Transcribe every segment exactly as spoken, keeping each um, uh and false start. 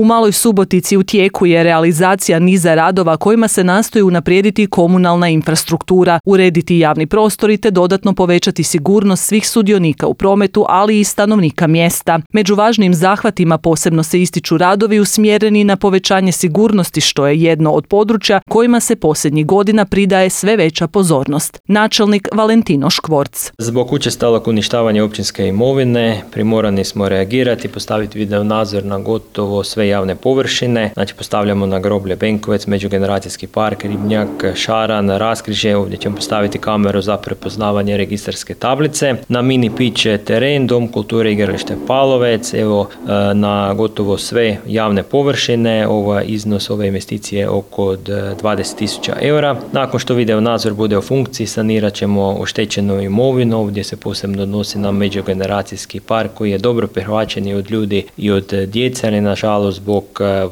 U Maloj Subotici u tijeku je realizacija niza radova kojima se nastoji unaprijediti komunalna infrastruktura, urediti javni prostori te dodatno povećati sigurnost svih sudionika u prometu, ali i stanovnika mjesta. Među važnim zahvatima posebno se ističu radovi usmjereni na povećanje sigurnosti, što je jedno od područja kojima se posljednjih godina pridaje sve veća pozornost. Načelnik Valentino Škvorc. Zbog učestalog uništavanja općinske imovine primorani smo reagirati, postaviti video nadzor na gotovo sve javne površine. Znači postavljamo na groblje Benkovec, međugeneracijski park, Ribnjak, Šaran, Raskrižje. Ovdje ćemo postaviti kameru za prepoznavanje registarske tablice. Na mini pitch teren, Dom kulture igralište Palovec. Evo na gotovo sve javne površine. Ovaj iznos ove investicije je oko dvadeset tisuća eura. Nakon što video nadzor bude u funkciji, sanirat ćemo oštećenu imovinu. Ovdje se posebno odnosi na međugeneracijski park koji je dobro prihvaćen i od ljudi i od djece, ali nažalost zbog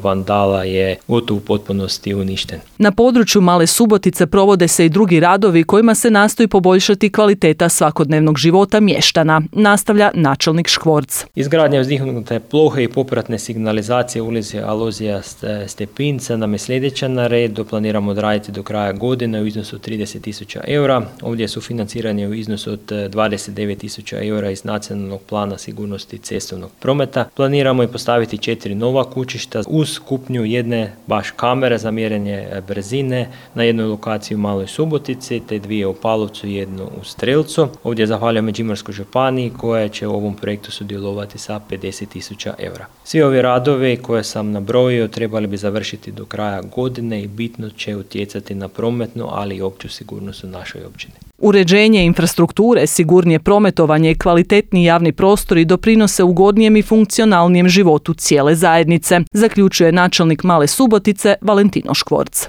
vandala je gotovo u potpunosti uništen. Na području Male Subotice provode se i drugi radovi kojima se nastoji poboljšati kvaliteta svakodnevnog života mještana, nastavlja načelnik Škvorc. Izgradnja uzdihnute plohe i popratne signalizacije ulici Alozija Stepinca nam je sljedeća na redu. Planiramo odraditi do kraja godine u iznosu od trideset tisuća eura. Ovdje su financiranje u iznosu od dvadeset devet tisuća eura iz nacionalnog plana sigurnosti cestovnog prometa. Planiramo i postaviti četiri nova kućišta uz kupnju jedne baš kamere za mjerenje brzine na jednoj lokaciji u Maloj Subotici, te dvije u Palovcu i jednu u Strelcu. Ovdje zahvaljujem Međimurskoj županiji koja će u ovom projektu sudjelovati sa pedeset tisuća eura. Svi ovi radovi koje sam nabrojio trebali bi završiti do kraja godine i bitno će utjecati na prometnu, ali i opću sigurnost u našoj općini. Uređenje infrastrukture, sigurnije prometovanje i kvalitetni javni prostori doprinose ugodnijem i funkcionalnijem životu cijele zajednice, zaključuje načelnik Male Subotice Valentino Škvorc.